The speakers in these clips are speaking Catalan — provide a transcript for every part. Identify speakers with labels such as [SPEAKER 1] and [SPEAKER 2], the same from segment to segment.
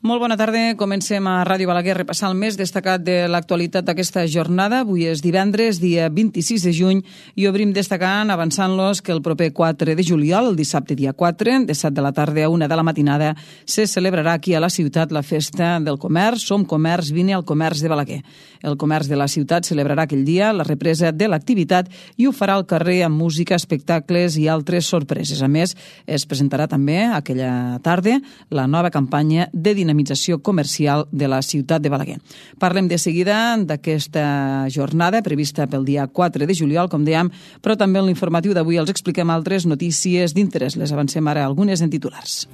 [SPEAKER 1] Molt bona tarda. Comencem a Ràdio Balaguer a repassar el més destacat de l'actualitat d'aquesta jornada. Avui és divendres, dia 26 de juny, i obrim destacant, avançant-los, que el proper 4 de juliol, el dissabte dia 4, de 7 de la tarda a 1 de la matinada, se celebrarà aquí a la ciutat la festa del comerç. Som comerç, vine al comerç de Balaguer. El comerç de la ciutat celebrarà aquell dia la represa de l'activitat i ho farà al carrer amb música, espectacles i altres sorpreses. A més, es presentarà també aquella tarda la nova campanya de dinamització comercial de la ciutat de Balaguer. Parlem de seguida d'aquesta jornada prevista pel dia 4 de juliol, com dèiem, però també en l'informatiu d'avui els expliquem altres notícies d'interès. Les avancem ara algunes en titulars.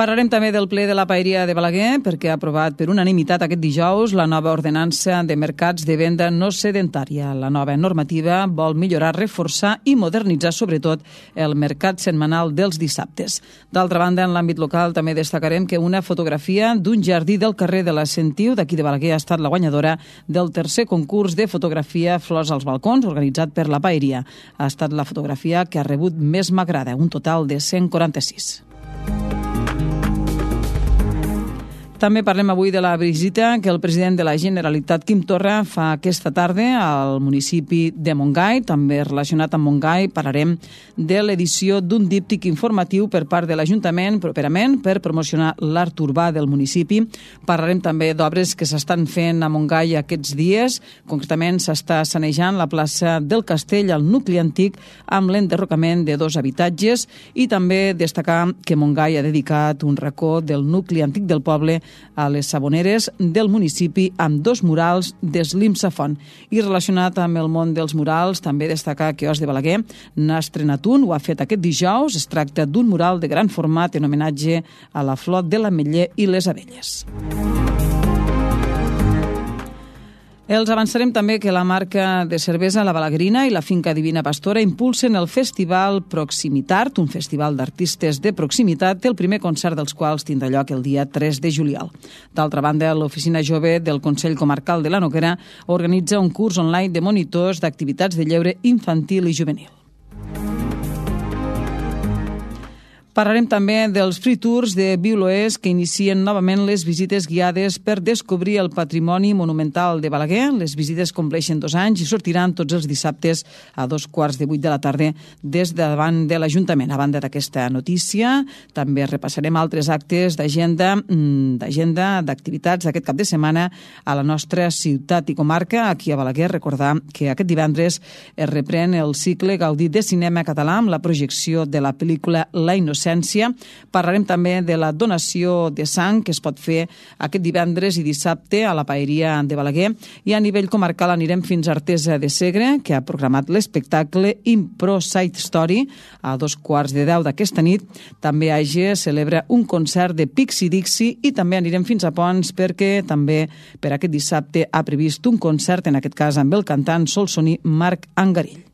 [SPEAKER 1] Parlarem també del ple de la Paeria de Balaguer perquè ha aprovat per unanimitat aquest dijous la nova ordenança de mercats de venda no sedentària. La nova normativa vol millorar, reforçar i modernitzar sobretot el mercat setmanal dels dissabtes. D'altra banda, en l'àmbit local també destacarem que una fotografia d'un jardí del carrer de la Sentiu d'aquí de Balaguer ha estat la guanyadora del tercer concurs de fotografia Flors als balcons organitzat per la Paeria. Ha estat la fotografia que ha rebut més m'agrada, un total de 146. També parlem avui de la visita que el president de la Generalitat, Quim Torra, fa aquesta tarda al municipi de Montgai. També relacionat amb Montgai parlarem de l'edició d'un díptic informatiu per part de l'Ajuntament properament per promocionar l'art urbà del municipi. Parlarem també d'obres que s'estan fent a Montgai aquests dies. Concretament s'està sanejant la plaça del Castell al nucli antic amb l'enderrocament de 2 habitatges i també destacar que Montgai ha dedicat un racó del nucli antic del poble a les Saboneres del municipi amb 2 murals d'Eslim Safon. I relacionat amb el món dels murals, també destacar que Os de Balaguer n'ha estrenat un, ho ha fet aquest dijous. Es tracta d'un mural de gran format en homenatge a la flor de l'ametller i les abelles. Els avançarem també que la marca de cervesa La Balaguerina i la finca Divina Pastora impulsen el festival Proximitart, un festival d'artistes de proximitat, el primer concert dels quals tindrà lloc el dia 3 de juliol. D'altra banda, l'Oficina Jove del Consell Comarcal de la Noguera organitza un curs online de monitors d'activitats de lleure infantil i juvenil. Parlarem també dels free tours de Viu-l'Oest que inicien novament les visites guiades per descobrir el patrimoni monumental de Balaguer. Les visites compleixen 2 anys i sortiran tots els dissabtes a 7:45 de la tarda des de davant de l'Ajuntament. A banda d'aquesta notícia, també repassarem altres actes d'agenda d'activitats d'aquest cap de setmana a la nostra ciutat i comarca. Aquí a Balaguer, recordar que aquest divendres es reprèn el cicle Gaudí de cinema català amb la projecció de la pel·lícula La Innocència. Parlarem també de la donació de sang que es pot fer aquest divendres i dissabte a la Paeria de Balaguer, i a nivell comarcal anirem fins a Artesa de Segre, que ha programat l'espectacle Impro Side Story a 9:15 d'aquesta nit. També AG celebra un concert de Pixi Dixi i també anirem fins a Pons perquè també per aquest dissabte ha previst un concert, en aquest cas amb el cantant solsoní Marc Angarill.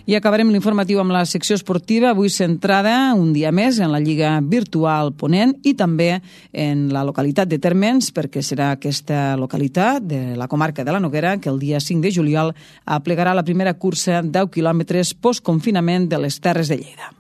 [SPEAKER 1] I acabarem l'informatiu amb la secció esportiva, avui centrada un dia més en la Lliga Virtual Ponent i també en la localitat de Térmens, perquè serà aquesta localitat de la comarca de la Noguera que el dia 5 de juliol aplegarà la primera cursa 10 quilòmetres postconfinament de les Terres de Lleida.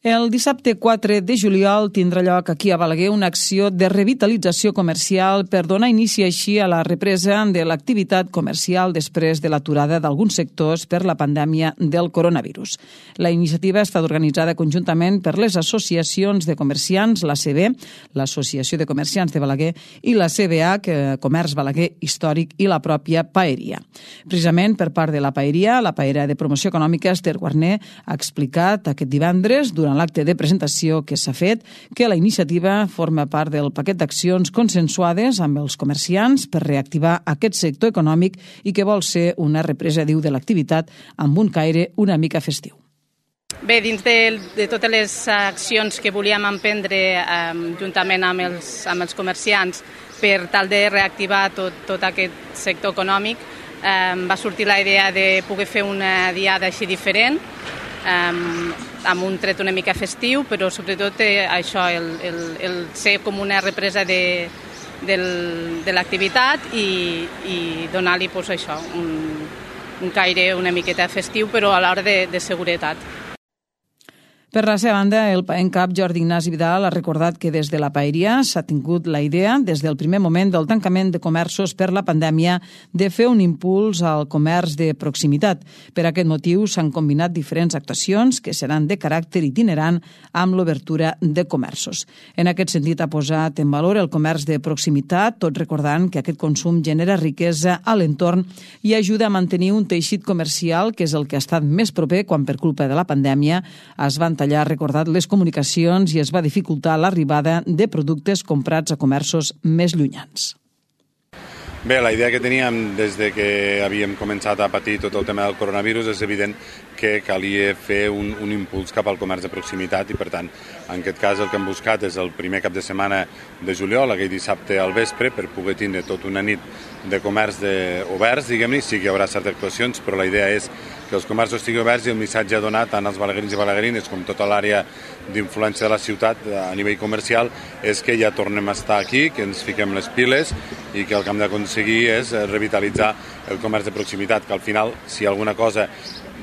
[SPEAKER 1] El dissabte 4 de juliol tindrà lloc aquí a Balaguer una acció de revitalització comercial per donar inici així a la represa de l'activitat comercial després de l'aturada d'alguns sectors per la pandèmia del coronavirus. La iniciativa ha estat organitzada conjuntament per les associacions de comerciants, l'ACB, l'Associació de Comerciants de Balaguer, i la CBH, Comerç Balaguer Històric, i la pròpia Paeria. Precisament per part de la Paeria de Promoció Econòmica, Esther Guarner, ha explicat aquest divendres, durant l'acte de presentació que s'ha fet, que la iniciativa forma part del paquet d'accions consensuades amb els comerciants per reactivar aquest sector econòmic i que vol ser una represa, diu, de l'activitat amb un caire una mica festiu.
[SPEAKER 2] Bé, dins de totes les accions que volíem emprendre juntament amb els comerciants per tal de reactivar tot aquest sector econòmic, va sortir la idea de poder fer una diada així diferent, amb un tret una mica festiu, però sobretot això, el ser com una represa de l'activitat i donar-li això, un caire una miqueta festiu, però alhora de seguretat.
[SPEAKER 1] Per la seva banda, el PAENCAP Jordi Ignasi Vidal ha recordat que des de la paeria s'ha tingut la idea, des del primer moment del tancament de comerços per la pandèmia, de fer un impuls al comerç de proximitat. Per aquest motiu s'han combinat diferents actuacions que seran de caràcter itinerant amb l'obertura de comerços. En aquest sentit ha posat en valor el comerç de proximitat, tot recordant que aquest consum genera riquesa a l'entorn i ajuda a mantenir un teixit comercial que és el que ha estat més proper quan per culpa de la pandèmia es van tallar, recordat, les comunicacions i es va dificultar l'arribada de productes comprats a comerços més llunyans.
[SPEAKER 3] Bé, la idea que teníem des de que havíem començat a patir tot el tema del coronavirus és evident que calia fer un impuls cap al comerç de proximitat i, per tant, en aquest cas el que hem buscat és el primer cap de setmana de juliol, aquell dissabte al vespre, per poder tindre tota una nit de comerç oberts, diguem-ne. Sí que hi haurà certes actuacions, però la idea és que els comerços estiguin oberts i el missatge a donar tant als balaguerins i balaguerines com tota l'àrea d'influència de la ciutat a nivell comercial és que ja tornem a estar aquí, que ens fiquem les piles i que el que hem d'aconseguir és revitalitzar el comerç de proximitat, que al final, si alguna cosa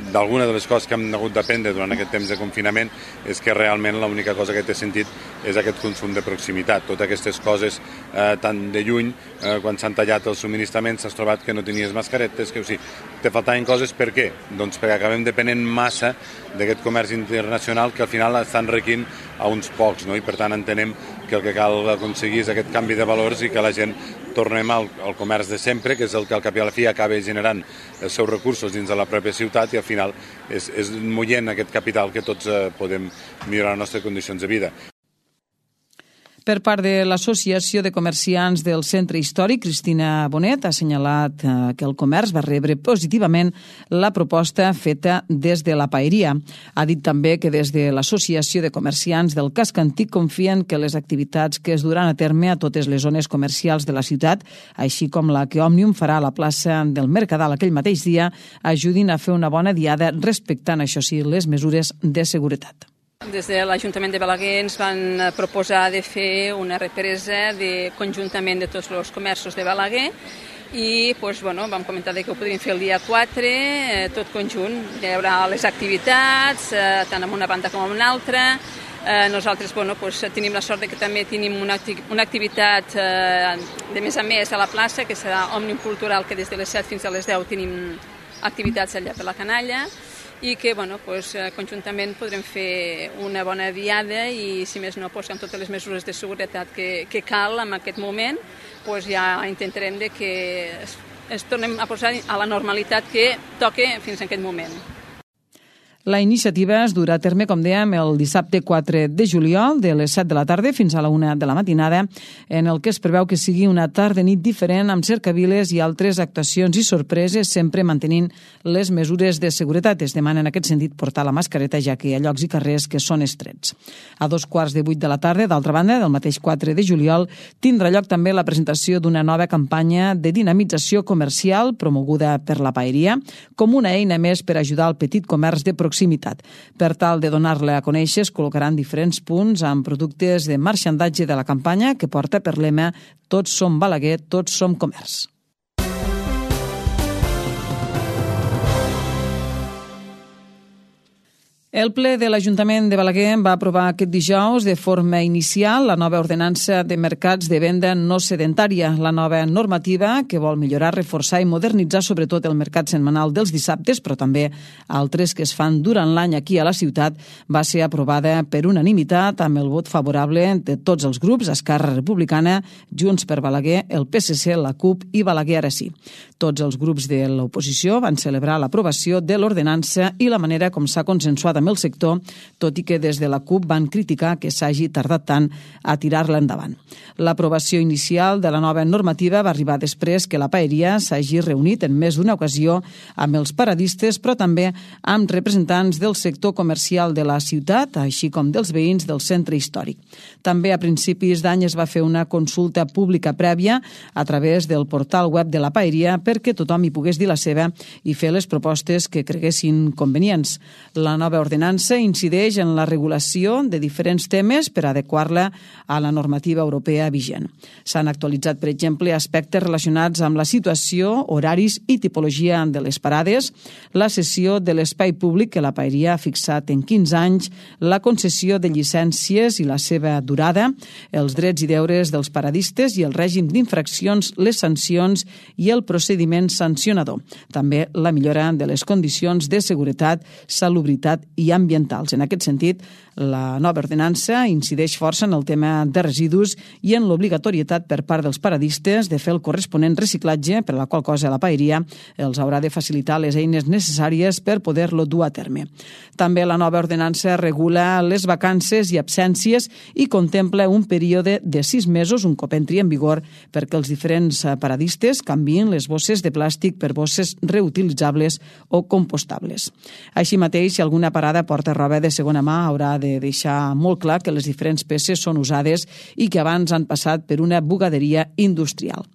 [SPEAKER 3] d'alguna de les coses que hem hagut d'aprendre durant aquest temps de confinament és que realment l'única cosa que té sentit és aquest consum de proximitat. Totes aquestes coses tan de lluny, quan s'han tallat els subministraments, s'has trobat que no tenies mascaretes, que o sigui, te faltaven coses. Per què? Doncs perquè acabem depenent massa d'aquest comerç internacional que al final està enriquint a uns pocs, no? I per tant entenem que el que cal aconseguir és aquest canvi de valors i que la gent tornem al comerç de sempre, que és el que al cap i a la fi acaba generant els seus recursos dins de la pròpia ciutat i al final és mullent aquest capital que tots podem millorar les nostres condicions de vida.
[SPEAKER 1] Per part de l'Associació de Comerciants del Centre Històric, Cristina Bonet ha assenyalat que el comerç va rebre positivament la proposta feta des de la paeria. Ha dit també que des de l'Associació de Comerciants del Casc Antic confien que les activitats que es duran a terme a totes les zones comercials de la ciutat, així com la que Òmnium farà a la plaça del Mercadal aquell mateix dia, ajudin a fer una bona diada respectant, això sí, les mesures de seguretat.
[SPEAKER 4] Des de l'Ajuntament de Balaguer ens van proposar de fer una represa conjuntament de tots els comerços de Balaguer i vam comentar que ho podríem fer el dia 4, tot conjunt. Hi haurà les activitats, tant en una banda com en una altra. Nosaltres tenim la sort que també tenim una activitat de més a més a la plaça, que serà Òmnium Cultural, que des de les 7 fins a les 10 tenim activitats allà per la canalla, i que conjuntament podrem fer una bona diada i, si més no, amb totes les mesures de seguretat que cal en aquest moment, ja intentarem que es tornem a posar a la normalitat que toca fins en aquest moment.
[SPEAKER 1] La iniciativa es durà a terme, com dèiem, el dissabte 4 de juliol, de les 7 de la tarda fins a la 1 de la matinada, en el que es preveu que sigui una tarda-nit diferent amb cercaviles i altres actuacions i sorpreses, sempre mantenint les mesures de seguretat. Es demana en aquest sentit portar la mascareta, ja que hi ha llocs i carrers que són estrets. A 7:15 de la tarda, d'altra banda, del mateix 4 de juliol, tindrà lloc també la presentació d'una nova campanya de dinamització comercial promoguda per la paeria, com una eina més per ajudar al petit comerç de proximitat. Per tal de donar-la a conèixer, es col·locaran diferents punts amb productes de marxandatge de la campanya que porta per lema «Tots som Balaguer, tots som comerç». El ple de l'Ajuntament de Balaguer va aprovar aquest dijous de forma inicial la nova ordenança de mercats de venda no sedentària, la nova normativa que vol millorar, reforçar i modernitzar sobretot el mercat setmanal dels dissabtes, però també altres que es fan durant l'any aquí a la ciutat, va ser aprovada per unanimitat amb el vot favorable de tots els grups, Esquerra Republicana, Junts per Balaguer, el PSC, la CUP i Balaguer Ara Sí. Tots els grups de l'oposició van celebrar l'aprovació de l'ordenança i la manera com s'ha consensuat amb el sector, tot i que des de la CUP van criticar que s'hagi tardat tant a tirar-la endavant. L'aprovació inicial de la nova normativa va arribar després que la paeria s'hagi reunit en més d'una ocasió amb els paradistes, però també amb representants del sector comercial de la ciutat, així com dels veïns del centre històric. També a principis d'any es va fer una consulta pública prèvia a través del portal web de la paeria perquè tothom hi pogués dir la seva i fer les propostes que creguessin convenients. La nova ordenança incideix en la regulació de diferents temes per adequar-la a la normativa europea vigent. S'han actualitzat, per exemple, aspectes relacionats amb la situació, horaris i tipologia de les parades, la cessió de l'espai públic que la paeria ha fixat en 15 anys, la concessió de llicències i la seva durada, els drets i deures dels paradistes i el règim d'infraccions, les sancions i el procediment sancionador. També la millora de les condicions de seguretat, salubritat i ambientals. En aquest sentit, la nova ordenança incideix força en el tema de residus i en l'obligatorietat per part dels paradistes de fer el corresponent reciclatge, per la qual cosa la paeria els haurà de facilitar les eines necessàries per poder-lo dur a terme. També la nova ordenança regula les vacances i absències i contempla un període de 6 mesos, un cop entri en vigor, perquè els diferents paradistes canviïn les bosses de plàstic per bosses reutilitzables o compostables. Així mateix, si alguna parada porta roba de segona mà, haurà de deixar molt clar que les diferents peces són usades i que abans han passat per una bugaderia industrial.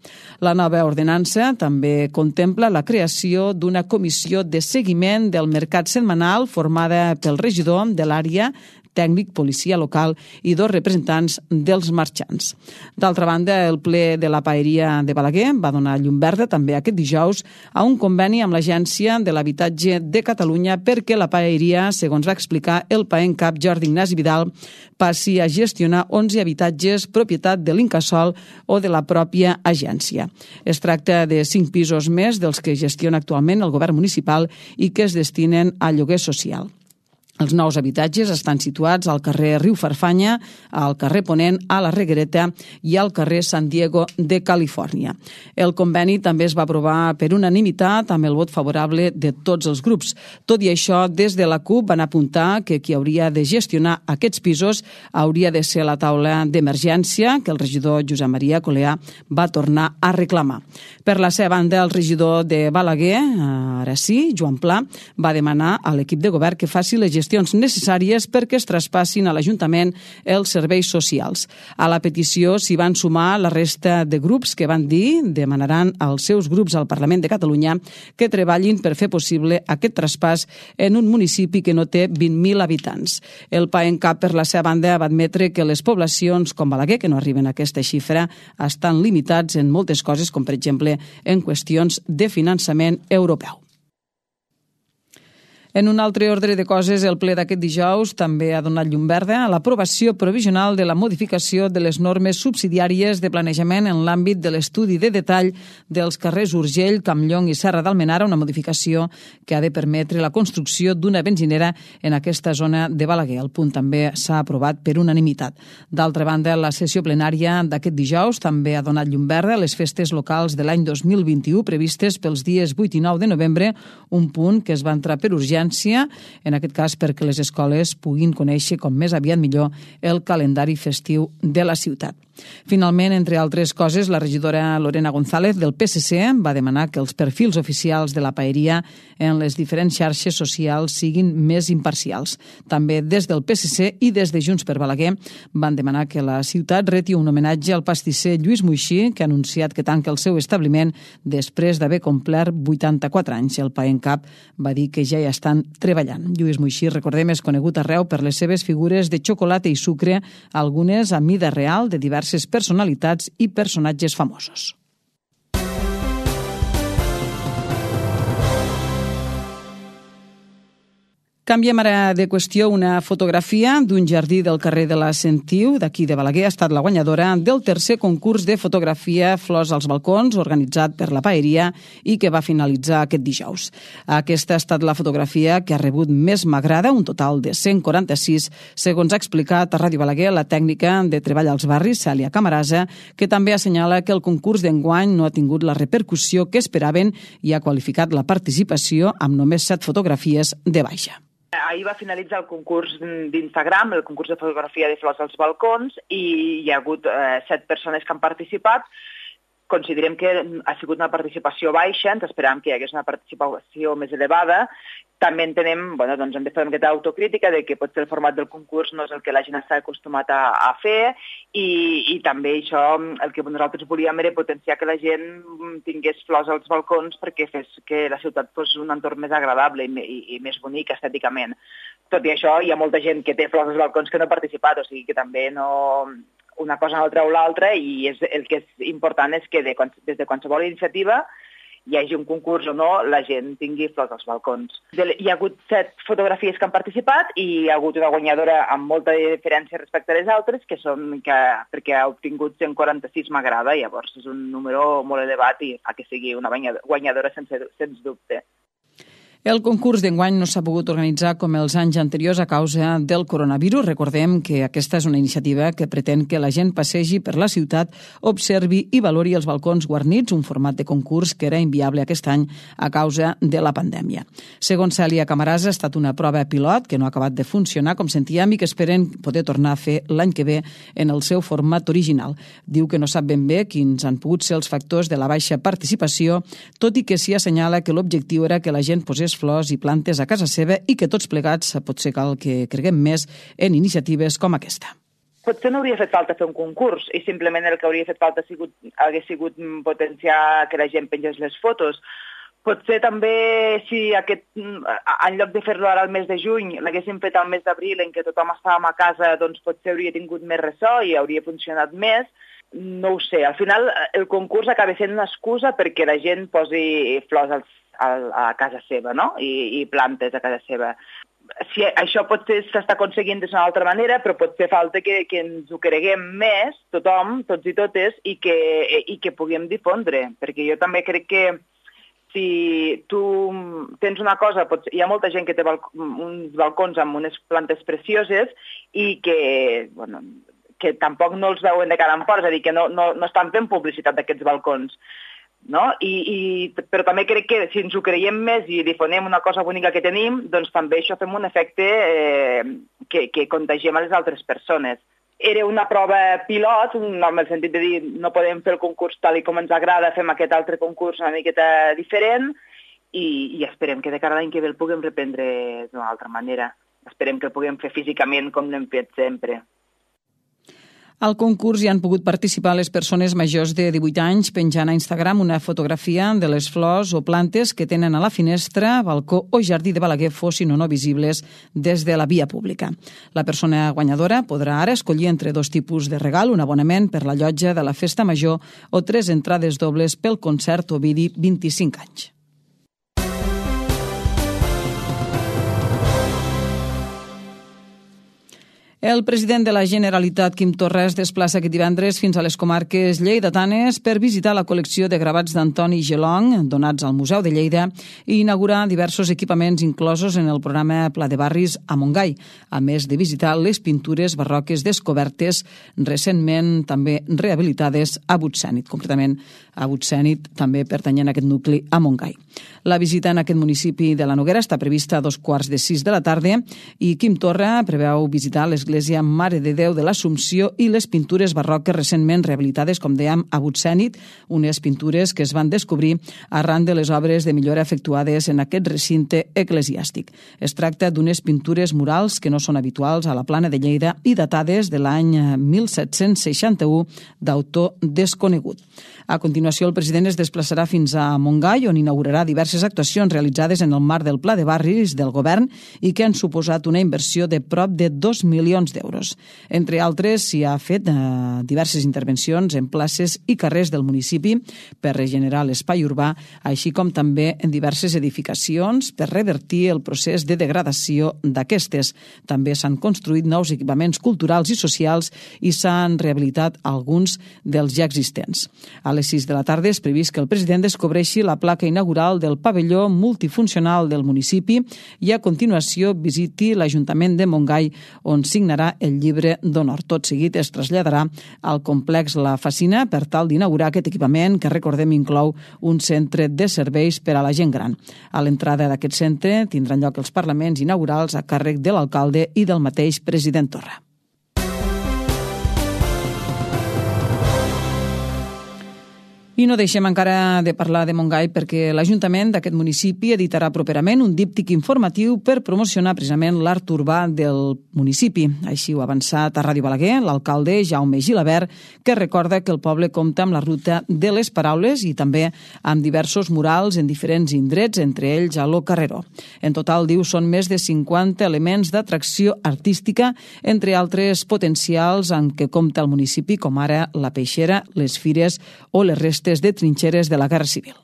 [SPEAKER 1] La nova ordenança també contempla la creació d'una comissió de seguiment del mercat setmanal formada pel regidor de l'àrea tècnic, policia local i 2 representants dels marxants. D'altra banda, el ple de la paeria de Balaguer va donar llum verda també aquest dijous a un conveni amb l'Agència de l'Habitatge de Catalunya perquè la paeria, segons va explicar el paent cap Jordi Ignasi Vidal, passi a gestionar 11 habitatges propietat de l'Incasòl o de la pròpia agència. Es tracta de 5 pisos més dels que gestiona actualment el govern municipal i que es destinen a lloguer social. Els nous habitatges estan situats al carrer Riu Farfanya, al carrer Ponent, a la Reguereta i al carrer San Diego de Califòrnia. El conveni també es va aprovar per unanimitat amb el vot favorable de tots els grups. Tot i això, des de la CUP van apuntar que qui hauria de gestionar aquests pisos hauria de ser la taula d'emergència que el regidor Josep Maria Coleà va tornar a reclamar. Per la seva banda, el regidor de Balaguer, ara sí, Joan Pla, va demanar a l'equip de govern que faci les gestions necessàries perquè es traspassin a l'Ajuntament els serveis socials. A la petició s'hi van sumar la resta de grups que van dir demanaran als seus grups al Parlament de Catalunya que treballin per fer possible aquest traspàs en un municipi que no té 20.000 habitants. El paent cap, per la seva banda, va admetre que les poblacions com Balaguer, que no arriben a aquesta xifra, estan limitats en moltes coses, com per exemple en qüestions de finançament europeu. En un altre ordre de coses, el ple d'aquest dijous també ha donat llum verda a l'aprovació provisional de la modificació de les normes subsidiàries de planejament en l'àmbit de l'estudi de detall dels carrers Urgell, Campllong i Serra d'Almenara, una modificació que ha de permetre la construcció d'una benzinera en aquesta zona de Balaguer. El punt també s'ha aprovat per unanimitat. D'altra banda, la sessió plenària d'aquest dijous també ha donat llum verda a les festes locals de l'any 2021 previstes pels dies 8 i 9 de novembre, un punt que es va entrar per urgència, en aquest cas perquè les escoles puguin conèixer com més aviat millor el calendari festiu de la ciutat. Finalment, entre altres coses, la regidora Lorena González del PSC va demanar que els perfils oficials de la paeria en les diferents xarxes socials siguin més imparcials. També des del PSC i des de Junts per Balaguer van demanar que la ciutat reti un homenatge al pastisser Lluís Moixí, que ha anunciat que tanca el seu establiment després d'haver complert 84 anys. El paent cap va dir que ja hi estan treballant. Lluís Moixí, recordem, és conegut arreu per les seves figures de xocolata i sucre, algunes a mida real de diverses personalitats i personatges famosos. Canviem ara de qüestió. Una fotografia d'un jardí del carrer de la Sentiu, d'aquí de Balaguer, ha estat la guanyadora del tercer concurs de fotografia Flors als balcons, organitzat per la paeria i que va finalitzar aquest dijous. Aquesta ha estat la fotografia que ha rebut més m'agrada, un total de 146, segons ha explicat a Ràdio Balaguer la tècnica de treball als barris, Cèlia Camarasa, que també assenyala que el concurs d'enguany no ha tingut la repercussió que esperaven i ha qualificat la participació amb només 7 fotografies de baixa.
[SPEAKER 5] ahir va finalitzar el concurs d'Instagram, el concurs de fotografia de flors als balcons, i hi ha hagut 7 persones que han participat. Considerem que ha sigut una participació baixa, ens esperàvem que hi hagués una participació més elevada. També entenem, hem de fer aquesta autocrítica de que potser el format del concurs no és el que la gent està acostumat a fer i també això, el que nosaltres volíem era potenciar que la gent tingués flors als balcons perquè fes que la ciutat fos un entorn més agradable i més bonic estèticament. Tot i això, hi ha molta gent que té flors als balcons que no ha participat, o sigui que també no... Una cosa no treu l'altra i el que és important és que des de qualsevol iniciativa, hi hagi un concurs o no, la gent tingui flors als balcons. Hi ha hagut 7 fotografies que han participat i hi ha hagut una guanyadora amb molta diferència respecte a les altres, perquè ha obtingut 146 m'agrada, llavors és un número molt elevat i fa que sigui una guanyadora sens dubte.
[SPEAKER 1] El concurs d'enguany no s'ha pogut organitzar com els anys anteriors a causa del coronavirus. Recordem que aquesta és una iniciativa que pretén que la gent passegi per la ciutat, observi i valori els balcons guarnits, un format de concurs que era inviable aquest any a causa de la pandèmia. Segons Cèlia Camarasa, ha estat una prova pilot que no ha acabat de funcionar, com sentíem, i que esperen poder tornar a fer l'any que ve en el seu format original. Diu que no sap ben bé quins han pogut ser els factors de la baixa participació, tot i que s'hi assenyala que l'objectiu era que la gent posés flors i plantes a casa seva i que tots plegats potser cal que creguem més en iniciatives com aquesta.
[SPEAKER 5] Potser no hauria fet falta fer un concurs i simplement el que hauria fet falta hagués sigut potenciar que la gent pengés les fotos. Potser també si en lloc de fer-lo ara al mes de juny l'haguéssim fet al mes d'abril en què tothom estàvem a casa, doncs potser hauria tingut més ressò i hauria funcionat més. No ho sé, al final el concurs acaba sent una excusa perquè la gent posi flors a casa seva, no? I plantes a casa seva. Si això potser s'està aconseguint d'una altra manera, però potser falta que ens ho creguem més, tothom, tots i totes, i que puguem difondre, perquè jo també crec que si tu tens una cosa, hi ha molta gent que té uns balcons amb unes plantes precioses i que tampoc no els veuen de cara en fora, és a dir, que no estan fent publicitat d'aquests balcons. No? Però també crec que si ens ho creiem més i difonem una cosa bonica que tenim, doncs també això fem un efecte que contagiem a les altres persones. Era una prova pilot, en el sentit de dir no podem fer el concurs tal com ens agrada, fem aquest altre concurs una miqueta diferent i esperem que de cara a l'any que ve el puguem reprendre d'una altra manera. Esperem que el puguem fer físicament com l'hem fet sempre.
[SPEAKER 1] Al concurs hi han pogut participar les persones majors de 18 anys penjant a Instagram una fotografia de les flors o plantes que tenen a la finestra, balcó o jardí de Balaguer fossin o no visibles des de la via pública. La persona guanyadora podrà ara escollir entre 2 tipus de regal, un abonament per la llotja de la Festa Major o 3 entrades dobles pel concert Ovidi 25 anys. El president de la Generalitat, Quim Torra, es desplaça aquest divendres fins a les comarques lleidatanes per visitar la col·lecció de gravats d'Antoni Gelong, donats al Museu de Lleida, i inaugurar diversos equipaments inclosos en el programa Pla de Barris a Montgai, a més de visitar les pintures barroques descobertes recentment també rehabilitades a Butxènit, concretament a Butxènit, també pertanyent a aquest nucli a Montgai. La visita en aquest municipi de la Noguera està prevista a 5:45 de la tarda i Quim Torra preveu visitar l'església Mare de Déu de l'Assumpció i les pintures barroques recentment rehabilitades, com dèiem, a Butxènit, unes pintures que es van descobrir arran de les obres de millora efectuades en aquest recinte eclesiàstic. Es tracta d'unes pintures murals que no són habituals a la Plana de Lleida i datades de l'any 1761 d'autor desconegut. A continuació, el president es desplaçarà fins a Montgai, on inaugurarà diverses actuacions realitzades en el marc del Pla de Barris del govern i que han suposat una inversió de prop de 2 milions d'euros. Entre altres, s'hi ha fet diverses intervencions en places i carrers del municipi per regenerar l'espai urbà, així com també en diverses edificacions per revertir el procés de degradació d'aquestes. També s'han construït nous equipaments culturals i socials i s'han rehabilitat alguns dels ja existents. A les 6 de la tarda és previst que el president descobreixi la placa inaugural del pavelló multifuncional del municipi i a continuació visiti l'Ajuntament de Montgai, on signarà el llibre d'honor. Tot seguit es traslladarà al complex La Facina per tal d'inaugurar aquest equipament que, recordem, inclou un centre de serveis per a la gent gran. A l'entrada d'aquest centre tindran lloc els parlaments inaugurals a càrrec de l'alcalde i del mateix president Torra. I no deixem encara de parlar de Montgai perquè l'Ajuntament d'aquest municipi editarà properament un díptic informatiu per promocionar precisament l'art urbà del municipi. Així ho ha avançat a Ràdio Balaguer l'alcalde Jaume Gilabert, que recorda que el poble compta amb la ruta de les paraules i també amb diversos murals en diferents indrets, entre ells a Lo Carreró. En total, diu, són més de 50 elements d'atracció artística, entre altres potencials amb què compta el municipi, com ara la peixera, les fires o les restes de trinxeres de la Guerra Civil.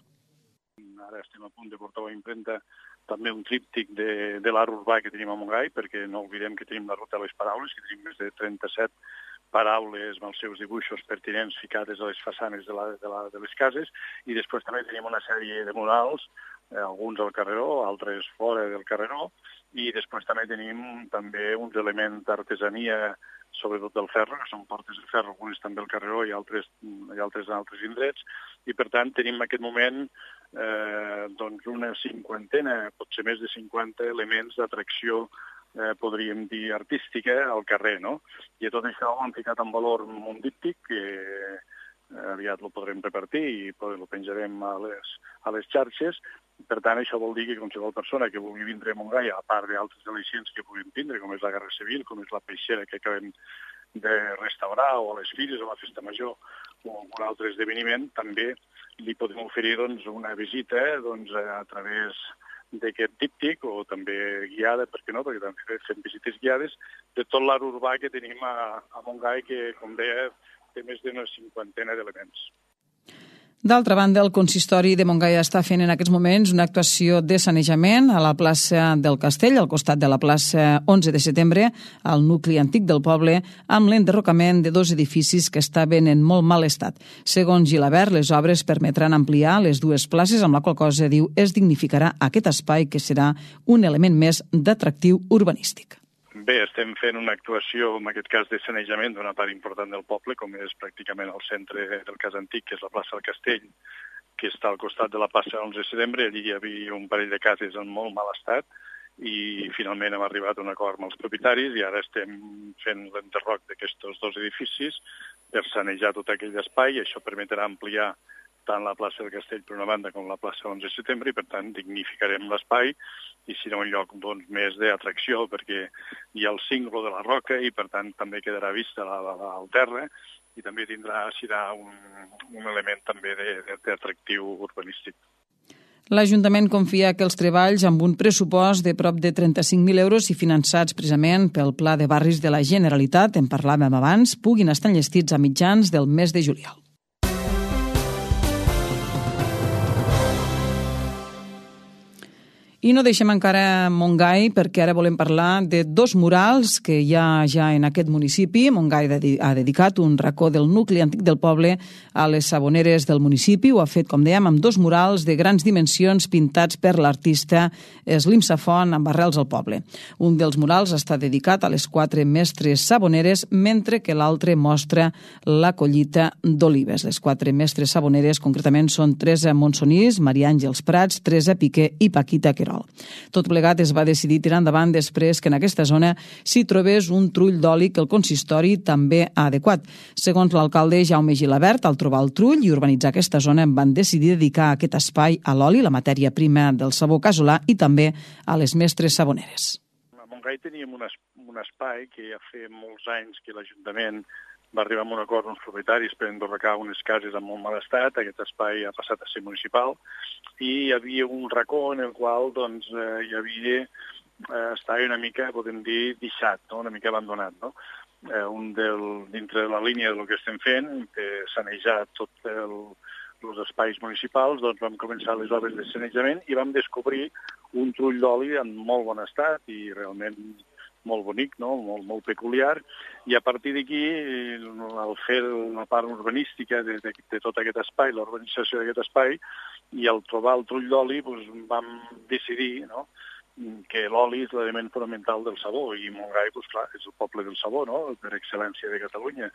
[SPEAKER 6] Ara estem a punt de portar a la impremta també un tríptic de l'art urbà que tenim a Montgai, perquè no oblidem que tenim la ruta de les paraules, que tenim més de 37 paraules amb els seus dibuixos pertinents ficades a les façanes de les cases, i després també tenim una sèrie de murals, alguns al carreró, altres fora del carreró, i després també tenim uns elements d'artesania, sobretot del ferro, que són portes de ferro, algunes també al carreró i altres en altres indrets, i per tant tenim en aquest moment una cinquantena, potser més de 50 elements d'atracció, podríem dir, artística al carrer, no? I tot això ho hem ficat en valor en un díptic que aviat lo podrem repartir i lo penjarem a les xarxes. Per tant, això vol dir que qualsevol persona que vulgui vindre a Montgai, a part d'altres al·licients que puguin tindre, com és la Guerra Civil, com és la peixera que acabem de restaurar, o a les fires, o a la Festa Major, o algun altre esdeveniment, també li podem oferir una visita a través d'aquest díptic, o també guiada, per què no?, perquè també fem visites guiades, de tot l'art urbà que tenim a Montgai, que, com deia, té més d'una cinquantena d'elements.
[SPEAKER 1] D'altra banda, el consistori de Montgai està fent en aquests moments una actuació de sanejament a la plaça del Castell, al costat de la plaça 11 de setembre, al nucli antic del poble, amb l'enderrocament de 2 edificis que estaven en molt mal estat. Segons Gilabert, les obres permetran ampliar les 2 places, amb la qual cosa, diu, es dignificarà aquest espai que serà un element més d'atractiu urbanístic.
[SPEAKER 6] Bé, estem fent una actuació, en aquest cas de sanejament, d'una part important del poble, com és pràcticament el centre del cas antic, que és la plaça del Castell, que està al costat de la plaça 11 de setembre. Allí hi havia un parell de cases en molt mal estat i finalment hem arribat a un acord amb els propietaris i ara estem fent l'enderroc d'aquests 2 edificis per sanejar tot aquell espai i això permetrà ampliar tant la plaça del Castell per una banda com la plaça 11 de setembre i per tant dignificarem l'espai i serà un lloc més d'atracció perquè hi ha el cinglo de la roca i per tant també quedarà vista al terra i també serà un element també d'atractiu urbanístic.
[SPEAKER 1] L'Ajuntament confia que els treballs amb un pressupost de prop de 35.000 euros i finançats precisament pel Pla de Barris de la Generalitat, en parlàvem abans, puguin estar enllestits a mitjans del mes de juliol. I no deixem encara Montgai perquè ara volem parlar de 2 murals que hi ha ja en aquest municipi. Montgai ha dedicat un racó del nucli antic del poble a les saboneres del municipi. Ho ha fet, com dèiem, amb 2 murals de grans dimensions pintats per l'artista Slim Safon amb arrels al poble. Un dels murals està dedicat a les 4 mestres saboneres, mentre que l'altre mostra la collita d'olives. Les 4 mestres saboneres concretament són Teresa Monsonís, Maria Àngels Prats, Teresa Piqué i Paquita Querol. Tot plegat es va decidir tirar endavant després que en aquesta zona s'hi trobés un trull d'oli que el consistori també ha adequat. Segons l'alcalde Jaume Gilabert, al trobar el trull i urbanitzar aquesta zona van decidir dedicar aquest espai a l'oli, la matèria prima del sabó casolà, i també a les mestres saboneres.
[SPEAKER 6] A Montgai teníem un espai que ja fa molts anys que l'Ajuntament va arribar a un acord amb els propietaris per endorrecar unes cases en molt mal estat. Aquest espai ha passat a ser municipal i hi havia un racó en el qual estava una mica, podem dir, deixat, no? Una mica abandonat. No? Dintre de la línia del que estem fent, de sanejar tots els espais municipals, doncs vam començar les obres de sanejament i vam descobrir un trull d'oli en molt bon estat i realment molt bonic, no? Molt peculiar, i a partir d'aquí, al fer la part urbanística de tot aquest espai, l'urbanització d'aquest espai, i al trobar el trull d'oli, doncs, vam decidir, no?, que l'oli és l'element fonamental del sabó, i Montgai, doncs clar, és el poble del sabó, no?, per excel·lència de Catalunya.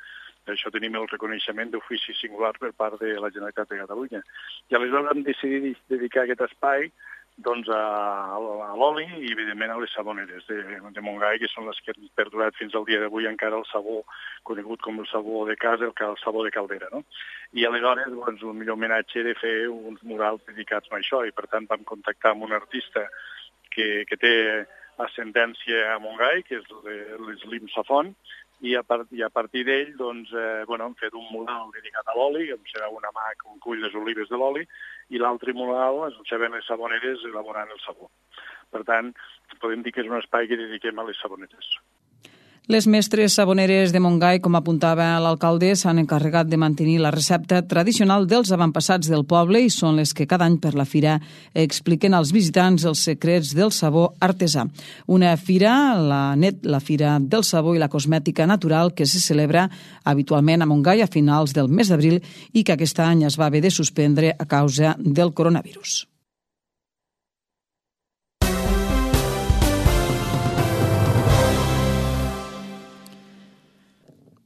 [SPEAKER 6] Per això tenim el reconeixement d'ofici singular per part de la Generalitat de Catalunya. I aleshores vam decidir dedicar aquest espai doncs, a l'oli i, evidentment, a les saboneres de Montgai, que són les que han perdurat fins al dia d'avui encara el sabó conegut com el sabó de casa, el sabó de caldera, no? I aleshores, doncs, un millor homenatge de fer uns murals dedicats a això, i per tant vam contactar amb un artista que té ascendència a Montgai, que és l'Slim Safon, i a partir d'ell doncs, hem fet un mural dedicat a l'oli, que serà una mà que cull les olives de l'oli, i l'altre mural ens deixaven les saboneres elaborant el sabó. Per tant, podem dir que és un espai que dediquem a les saboneres.
[SPEAKER 1] Les mestres saboneres de Montgai, com apuntava l'alcalde, s'han encarregat de mantenir la recepta tradicional dels avantpassats del poble i són les que cada any per la fira expliquen als visitants els secrets del sabó artesà. Una fira, la Fira del Sabó i la Cosmètica Natural, que se celebra habitualment a Montgai a finals del mes d'abril i que aquest any es va haver de suspendre a causa del coronavirus.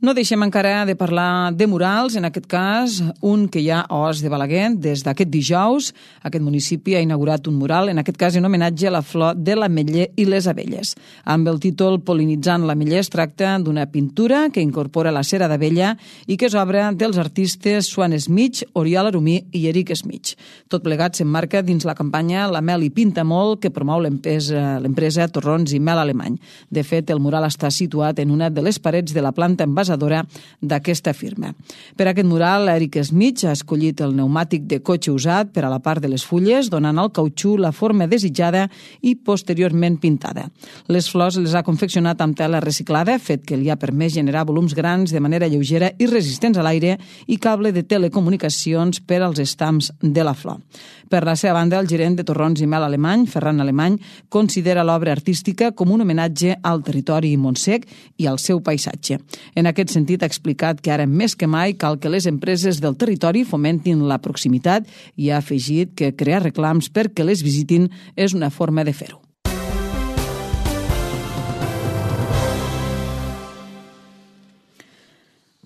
[SPEAKER 1] No deixem encara de parlar de murals, en aquest cas un que hi ha a Os de Balaguer. Des d'aquest dijous, aquest municipi ha inaugurat un mural, en aquest cas en homenatge a la flor de l'ametller i les abelles. Amb el títol Pol·linitzant l'ametller es tracta d'una pintura que incorpora la cera d'abella i que és obra dels artistes Swan Smith, Oriol Arumí i Eric Smith. Tot plegat s'emmarca dins la campanya La Mel hi pinta molt, que promou l'empresa Torrons i Mel Alemany. De fet, el mural està situat en una de les parets de la planta envasadora d'aquesta firma. Per aquest mural, Eric Smith ha escollit el pneumàtic de cotxe usat per a la part de les fulles, donant al cautxú la forma desitjada i posteriorment pintada. Les flors les ha confeccionat amb tela reciclada, fet que li ha permès generar volums grans de manera lleugera i resistents a l'aire i cable de telecomunicacions per als estams de la flor. Per la seva banda, el gerent de Torrons i Mel Alemany, Ferran Alemany, considera l'obra artística com un homenatge al territori montsec i al seu paisatge. En aquest sentit, ha explicat que ara més que mai cal que les empreses del territori fomentin la proximitat i ha afegit que crear reclams perquè les visitin és una forma de fer-ho.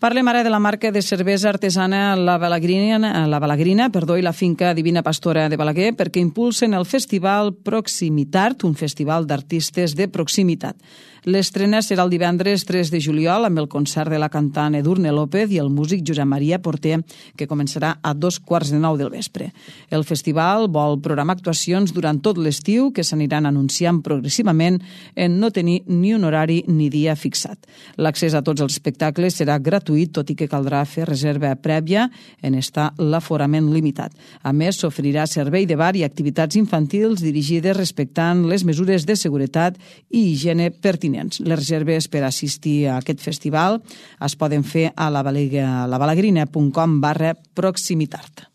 [SPEAKER 1] Parlem ara de la marca de cervesa artesana La Balagrina i la finca Divina Pastora de Balaguer perquè impulsen el festival Proximitart, un festival d'artistes de proximitat. L'estrena serà el divendres 3 de juliol amb el concert de la cantant Edurne López i el músic Josep Maria Porter, que començarà a 8:45 del vespre. El festival vol programar actuacions durant tot l'estiu que s'aniran anunciant progressivament en no tenir ni un horari ni dia fixat. L'accés a tots els espectacles serà gratuït, tot i que caldrà fer reserva prèvia en estar l'aforament limitat. A més, s'oferirà servei de bar i activitats infantils dirigides respectant les mesures de seguretat i higiene pertinents. Les reserves per assistir a aquest festival es poden fer a lavalagrina.com/proximitart.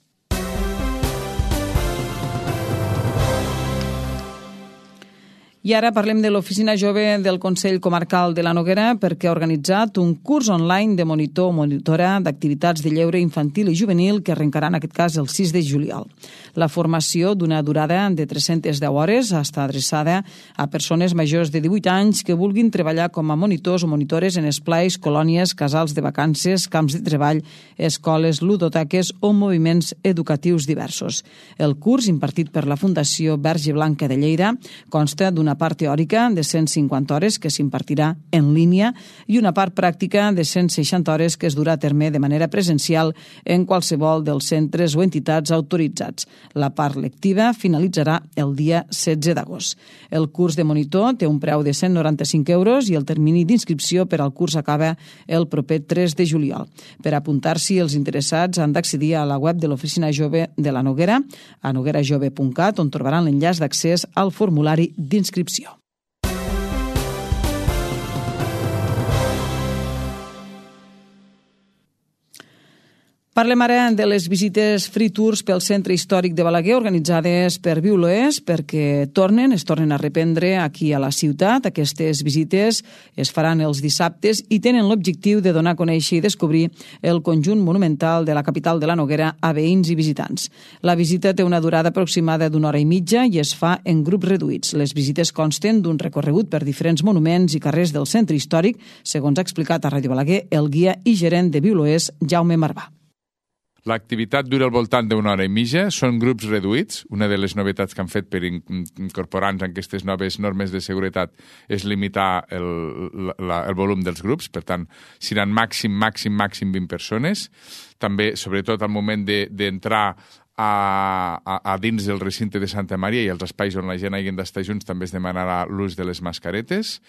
[SPEAKER 1] I ara parlem de l'Oficina Jove del Consell Comarcal de la Noguera perquè ha organitzat un curs online de monitor o monitora d'activitats de lleure infantil i juvenil que arrencarà en aquest cas el 6 de juliol. La formació d'una durada de 310 hores està adreçada a persones majors de 18 anys que vulguin treballar com a monitors o monitores en esplais, colònies, casals de vacances, camps de treball, escoles, ludoteques o moviments educatius diversos. El curs, impartit per la Fundació Verge Blanca de Lleida, consta d'una part teòrica de 150 hores que s'impartirà en línia i una part pràctica de 160 hores que es durà a terme de manera presencial en qualsevol dels centres o entitats autoritzats. La part lectiva finalitzarà el dia 16 d'agost. El curs de monitor té un preu de 195 euros i el termini d'inscripció per al curs acaba el proper 3 de juliol. Per apuntar-s'hi, els interessats han d'accedir a la web de l'Oficina Jove de la Noguera, a noguerajove.cat, on trobaran l'enllaç d'accés al formulari d'inscripció. Parlem ara de les visites free tours pel centre històric de Balaguer organitzades per Viu l'Oest perquè es tornen a reprendre aquí a la ciutat. Aquestes visites es faran els dissabtes i tenen l'objectiu de donar a conèixer i descobrir el conjunt monumental de la capital de la Noguera a veïns i visitants. La visita té una durada aproximada d'una hora i mitja i es fa en grups reduïts. Les visites consten d'un recorregut per diferents monuments i carrers del centre històric, segons ha explicat a Ràdio Balaguer el guia i gerent de Viu l'Oest, Jaume Marvà.
[SPEAKER 7] L'activitat dura al voltant d'una hora i mitja, són grups reduïts. Una de les novetats que han fet per incorporar-nos en aquestes noves normes de seguretat és limitar el volum dels grups, per tant, seran màxim 20 persones. També, sobretot al moment d'entrar a dins del recinte de Santa Maria i els espais on la gent hagi d'estar junts també es demanarà l'ús de les mascaretes.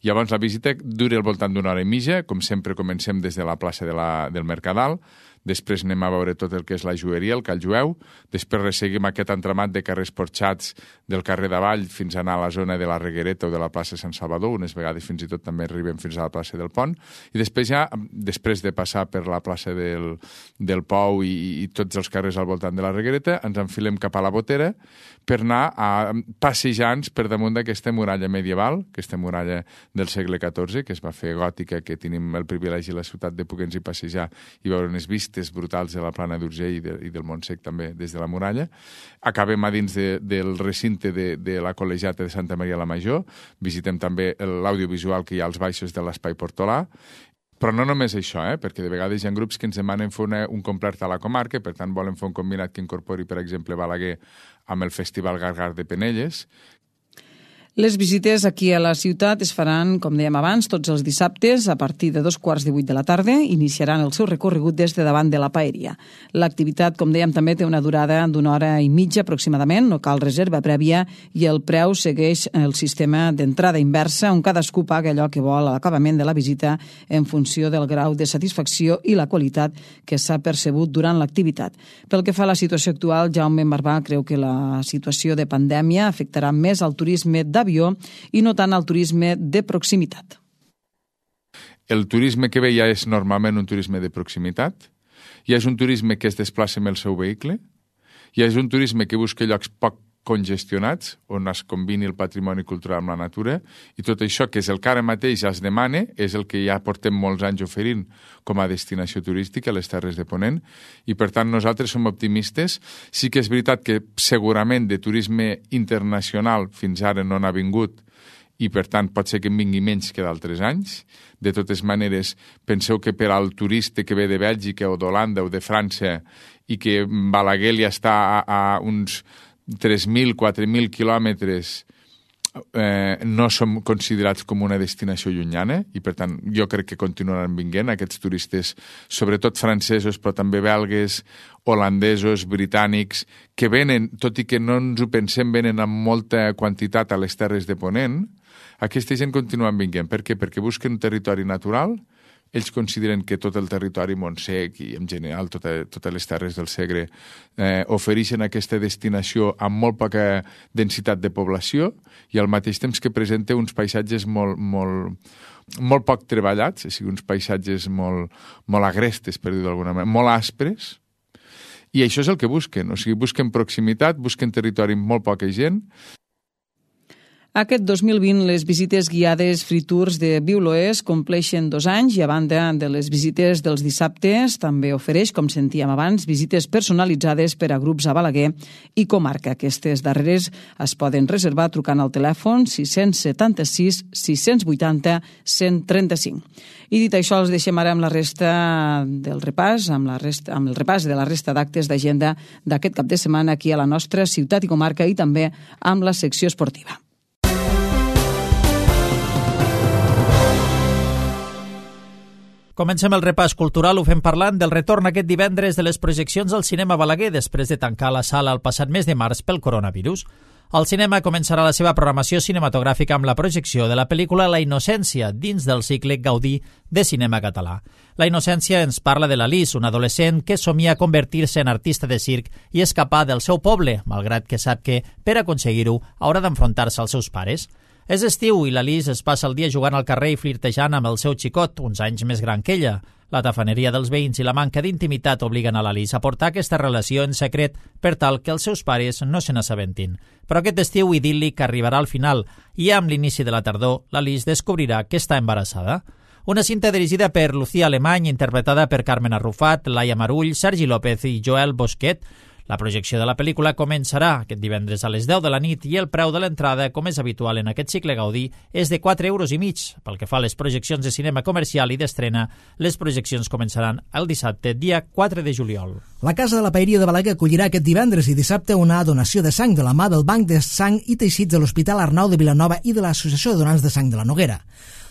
[SPEAKER 7] Llavors la visita dura al voltant d'una hora i mitja, com sempre comencem des de la plaça del Mercadal, després anem a veure tot el que és la joieria, el Call Jueu, després resseguim aquest entramat de carrers porxats del carrer d'Avall fins a anar a la zona de la Reguereta o de la plaça Sant Salvador, unes vegades fins i tot també arribem fins a la plaça del Pont, i després ja, després de passar per la plaça del Pou i tots els carrers al voltant de la Reguereta, ens enfilem cap a la Botera per anar passejant per damunt d'aquesta muralla medieval, aquesta muralla del segle XIV, que es va fer gòtica, que tenim el privilegi a la ciutat de poder-nos-hi passejar i veure unes vistes brutals de la Plana d'Urgell i del Montsec també des de la muralla. Acabem a dins del recinte de la Col·legiata de Santa Maria la Major, visitem també l'audiovisual que hi ha als baixos de l'Espai Portolà, però no només això, perquè de vegades hi ha grups que ens demanen fer un complet a la comarca, per tant volen fer un combinat que incorpori, per exemple, Balaguer amb el Festival Gargar de Penelles.
[SPEAKER 1] Les visites aquí a la ciutat es faran, com dèiem abans, tots els dissabtes a partir de 7:45 de la tarda. Iniciaran el seu recorregut des de davant de la paeria. L'activitat, com dèiem, també té una durada d'una hora i mitja aproximadament, no cal reserva prèvia i el preu segueix el sistema d'entrada inversa on cadascú paga allò que vol a l'acabament de la visita en funció del grau de satisfacció i la qualitat que s'ha percebut durant l'activitat. Pel que fa a la situació actual, Jaume Marvà creu que la situació de pandèmia afectarà més al turisme d'avió i no tant al turisme de proximitat.
[SPEAKER 7] El turisme que ve ja és normalment un turisme de proximitat, ja és un turisme que es desplaça amb el seu vehicle, ja és un turisme que busca llocs poc congestionats, on es combini el patrimoni cultural amb la natura, i tot això, que és el que ara mateix ja es demana, és el que ja portem molts anys oferint com a destinació turística a les Terres de Ponent, i per tant nosaltres som optimistes. Sí que és veritat que segurament de turisme internacional fins ara no n'ha vingut, i per tant pot ser que en vingui menys que d'altres anys. De totes maneres, penseu que per al turista que ve de Bèlgica o d'Holanda o de França i que Balaguer ja està a uns 3.000, 4.000 quilòmetres, no som considerats com una destinació llunyana i per tant jo crec que continuaran vinguent aquests turistes, sobretot francesos però també belgues, holandesos, britànics, que venen, tot i que no ens ho pensem, venen amb molta quantitat a les Terres de Ponent. Aquesta gent continuen vinguent. Per què? Perquè busquen un territori natural. Ells consideren que tot el territori Montsec i en general totes les terres del Segre ofereixen aquesta destinació amb molt poca densitat de població i al mateix temps que presenta uns paisatges molt poc treballats, o sigui, uns paisatges molt agrestes, per dir-ho d'alguna manera, molt aspres, i això és el que busquen, o sigui, busquen proximitat, busquen territori amb molt poca gent.
[SPEAKER 1] Aquest 2020, les visites guiades free tours de Viu l'Oest compleixen 2 anys i a banda de les visites dels dissabtes també ofereix, com sentíem abans, visites personalitzades per a grups a Balaguer i comarca. Aquestes darreres es poden reservar trucant al telèfon 676 680 135. I dit això, els deixem ara amb la resta del repàs, amb el repàs de la resta d'actes d'agenda d'aquest cap de setmana aquí a la nostra ciutat i comarca i també amb la secció esportiva.
[SPEAKER 8] Comencem el repàs cultural, ho fem parlant del retorn aquest divendres de les projeccions al cinema Balaguer després de tancar la sala el passat mes de març pel coronavirus. El cinema començarà la seva programació cinematogràfica amb la projecció de la pel·lícula La Innocència, dins del cicle Gaudí de cinema català. La Innocència ens parla de l'Alice, una adolescent que somia convertir-se en artista de circ i escapar del seu poble, malgrat que sap que, per aconseguir-ho, haurà d'enfrontar-se als seus pares. És estiu i la Lis es passa el dia jugant al carrer i flirtejant amb el seu xicot, uns anys més gran que ella. La tafaneria dels veïns i la manca d'intimitat obliguen a la Lis a portar aquesta relació en secret per tal que els seus pares no se n'assabentin. Però aquest estiu idíl·lic arribarà al final i amb l'inici de la tardor la Lis descobrirà que està embarassada. Una cinta dirigida per Lucía Alemany, interpretada per Carmen Arrufat, Laia Marull, Sergi López i Joel Bosquet. La projecció de la pel·lícula començarà aquest divendres a les 10 de la nit i el preu de l'entrada, com és habitual en aquest cicle Gaudí, és de 4,5 €. Pel que fa a les projeccions de cinema comercial i d'estrena, les projeccions començaran el dissabte, dia 4 de juliol.
[SPEAKER 9] La Casa de la Paeria de Balaguer acollirà aquest divendres i dissabte una donació de sang de la mà del Banc de Sang i Teixits de l'Hospital Arnau de Vilanova i de l'Associació de Donants de Sang de la Noguera.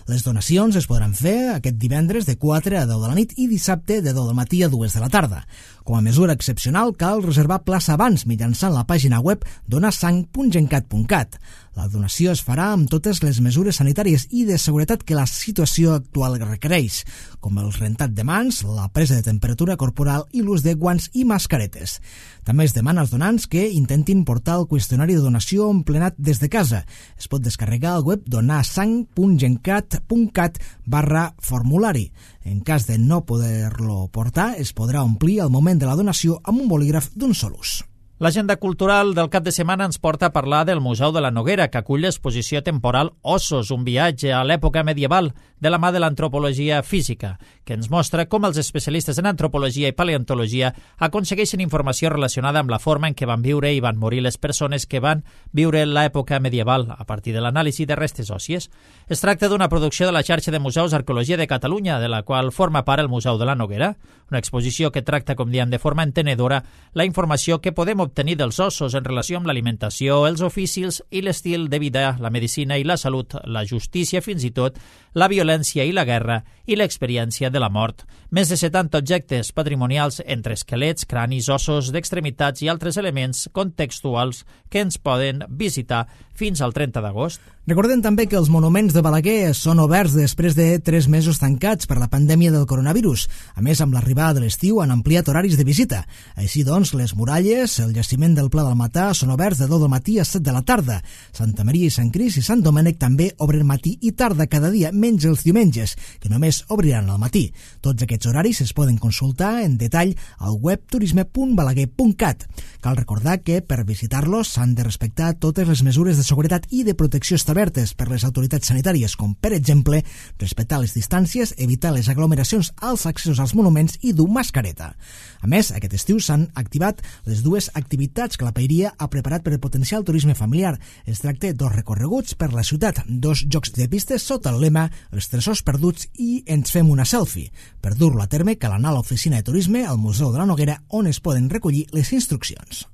[SPEAKER 9] Les donacions es podran fer aquest divendres de 4 a 10 de la nit i dissabte de 10 del matí a 2 de la tarda. Com a mesura excepcional, cal reservar plaça abans mitjançant la pàgina web donarsang.gencat.cat. La donació es farà amb totes les mesures sanitàries i de seguretat que la situació actual requereix, com el rentat de mans, la presa de temperatura corporal i l'ús de guants i mascaretes. També es demana als donants que intentin portar el qüestionari de donació emplenat des de casa. Es pot descarregar al web donarsang.gencat.cat/formulari. En cas de no poder-lo portar, es podrà omplir al moment de la donació amb un bolígraf d'un sol ús.
[SPEAKER 8] L'agenda cultural del cap de setmana ens porta a parlar del Museu de la Noguera, que acull l'exposició temporal Ossos, un viatge a l'època medieval, de la mà de l'antropologia física, que ens mostra com els especialistes en antropologia i paleontologia aconsegueixen informació relacionada amb la forma en què van viure i van morir les persones que van viure l'època medieval a partir de l'anàlisi de restes òssies. Es tracta d'una producció de la xarxa de museus d'arqueologia de Catalunya, de la qual forma part el Museu de la Noguera, una exposició que tracta, com diem, de forma entenedora la informació que podem obtenir dels ossos en relació amb l'alimentació, els oficis i l'estil de vida, la medicina i la salut, la justícia, fins i tot la violència i la guerra i l'experiència de la mort. Més de 70 objectes patrimonials entre esquelets, cranis, ossos d'extremitats i altres elements contextuals que ens poden visitar fins al 30 d'agost.
[SPEAKER 9] Recordem també que els monuments de Balaguer són oberts després de 3 mesos tancats per la pandèmia del coronavirus. A més, amb l'arribada de l'estiu han ampliat horaris de visita. Així doncs, les muralles, el jaciment del Pla del Matà són oberts de 2 del matí a 7 de la tarda. Santa Maria i Sant Cris i Sant Domènec també obren matí i tarda cada dia, menys els diumenges, que només obriran al matí. Tots aquests horaris es poden consultar en detall al web turisme.balaguer.cat. Cal recordar que per visitar-los s'han de respectar totes les mesures de seguretat i de protecció establertes per les autoritats sanitàries, com per exemple respectar les distàncies, evitar les aglomeracions als accessos als monuments i dur mascareta. A més, aquest estiu s'han activat les 2 activitats que la Paeria ha preparat per potenciar el turisme familiar. Es tracta d'2 recorreguts per la ciutat, 2 jocs de pistes sota el lema Els tresors perduts i Ens fem una selfie. Per dur-lo a terme cal anar a l'oficina de turisme al Museu de la Noguera, on es poden recollir les instruccions.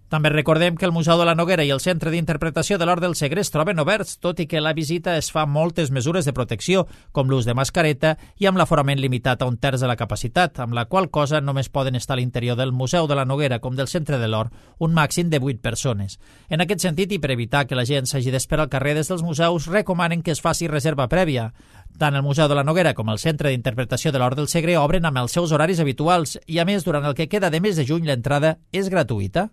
[SPEAKER 8] També recordem que el Museu de la Noguera i el Centre d'Interpretació de l'Hort del Segre es troben oberts, tot i que la visita es fa amb moltes mesures de protecció, com l'ús de mascareta i amb l'aforament limitat a 1/3 de la capacitat, amb la qual cosa només poden estar a l'interior del Museu de la Noguera com del Centre de l'Hort un màxim de 8 persones. En aquest sentit, i per evitar que la gent s'hagi d'esperar al carrer des dels museus, recomanen que es faci reserva prèvia. Tant el Museu de la Noguera com el Centre d'Interpretació de l'Hort del Segre obren amb els seus horaris habituals i, a més, durant el que queda de mes de juny, l'entrada és gratuïta.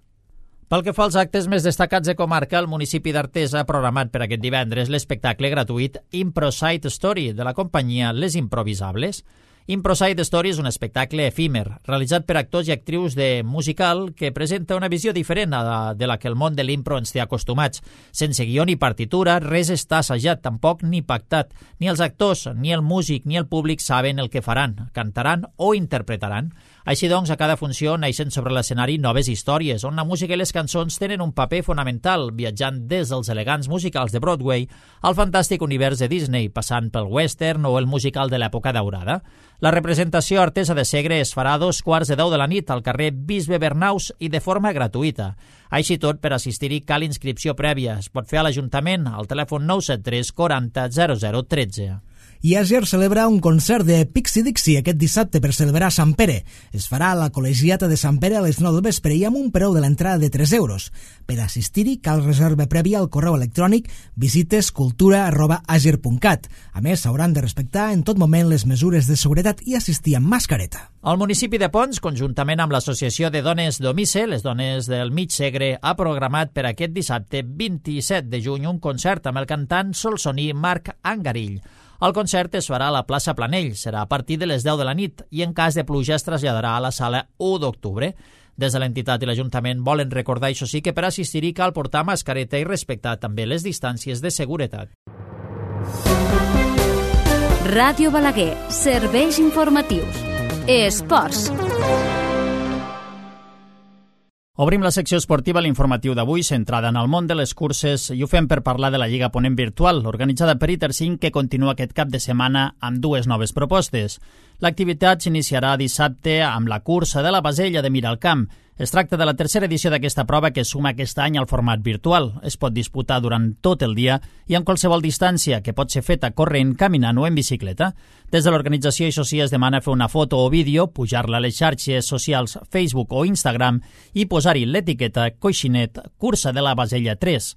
[SPEAKER 8] Pel que fa als actes més destacats de comarca, el municipi d'Artés ha programat per aquest divendres l'espectacle gratuït Improside Story de la companyia Les Improvisables. Improside Story és un espectacle efímer, realitzat per actors i actrius de musical que presenta una visió diferent de la que el món de l'impro ens té acostumats. Sense guió ni partitura, res està assajat, tampoc ni pactat. Ni els actors, ni el músic, ni el públic saben el que faran, cantaran o interpretaran. Així doncs, a cada funció neixen sobre l'escenari noves històries, on la música i les cançons tenen un paper fonamental, viatjant des dels elegants musicals de Broadway al fantàstic univers de Disney, passant pel western o el musical de l'època daurada. La representació artesa de Segre es farà a 2:15 de la nit al carrer Bisbe Bernaus i de forma gratuïta. Així tot, per assistir-hi cal inscripció prèvia. Es pot fer a l'Ajuntament al telèfon 973 40 00 13.
[SPEAKER 9] I Àger celebra un concert de Pixie Dixie aquest dissabte per celebrar Sant Pere. Es farà a la Col·legiata de Sant Pere a les 9 del vespre i amb un preu de l'entrada de 3 euros. Per assistir-hi cal reserva prèvia al correu electrònic visitescultura@ager.cat. A més, s'hauran de respectar en tot moment les mesures de seguretat i assistir amb mascareta.
[SPEAKER 8] El municipi de Pons, conjuntament amb l'Associació de Dones d'Omice, les dones del Mig Segre, ha programat per aquest dissabte 27 de juny un concert amb el cantant solsoní Marc Angarill. El concert es farà a la plaça Planell, serà a partir de les 10 de la nit i en cas de pluja es traslladarà a la sala 1 d'octubre. Des de l'entitat i l'Ajuntament volen recordar, això sí, que per assistir-hi cal portar mascareta i respectar també les distàncies de seguretat.
[SPEAKER 10] Ràdio Balaguer, serveis informatius. Esports.
[SPEAKER 8] Obrim la secció esportiva a l'informatiu d'avui, centrada en el món de les curses, i ho fem per parlar de la Lliga Ponent Virtual, organitzada per ITER5, que continua aquest cap de setmana amb 2 noves propostes. L'activitat s'iniciarà dissabte amb la cursa de la Basella de Miralcamp. Es tracta de la tercera edició d'aquesta prova que suma aquest any al format virtual. Es pot disputar durant tot el dia i en qualsevol distància, que pot ser feta corrent, caminant o en bicicleta. Des de l'organització, això sí, es demana fer una foto o vídeo, pujar-la a les xarxes socials Facebook o Instagram i posar-hi l'etiqueta Coixinet Cursa de la Basella 3.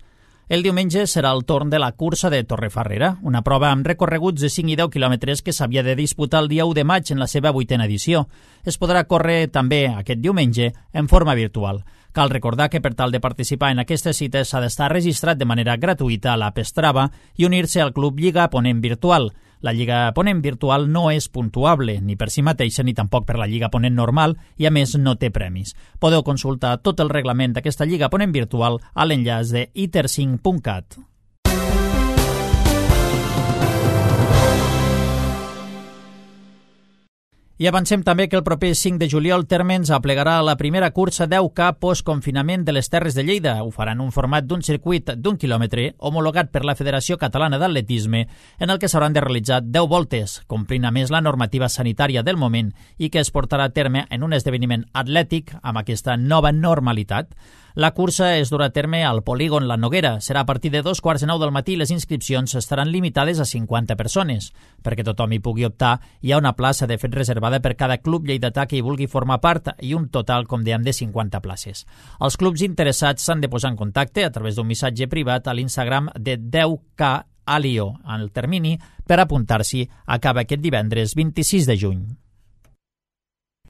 [SPEAKER 8] El diumenge serà el torn de la cursa de Torrefarrera, una prova amb recorreguts de 5 i 10 quilòmetres que s'havia de disputar el dia 1 de maig en la seva 8a edició. Es podrà córrer també aquest diumenge en forma virtual. Cal recordar que per tal de participar en aquestes cites s'ha d'estar registrat de manera gratuïta a l'App Strava i unir-se al Club Lliga Ponent Virtual. La Lliga Ponent Virtual no és puntuable, ni per si mateixa ni tampoc per la Lliga Ponent normal, i a més no té premis. Podeu consultar tot el reglament d'aquesta Lliga Ponent Virtual a l'enllaç de iter5.cat. I avancem també que el proper 5 de juliol Térmens aplegarà la primera cursa 10K post-confinament de les Terres de Lleida. Ho farà en un format d'un circuit d'1 quilòmetre homologat per la Federació Catalana d'Atletisme, en el que s'hauran de realitzar 10 voltes, complint a més la normativa sanitària del moment i que es portarà a terme en un esdeveniment atlètic amb aquesta nova normalitat. La cursa es durà a terme al polígon La Noguera. Serà a partir de 2:15 del matí i les inscripcions estaran limitades a 50 persones. Perquè tothom hi pugui optar, hi ha una plaça de fet reservada per cada club lleidatà que hi vulgui formar part i un total, com dèiem, de 50 places. Els clubs interessats s'han de posar en contacte a través d'un missatge privat a l'Instagram de 10K Alio. El termini per apuntar-s'hi acaba aquest divendres 26 de juny.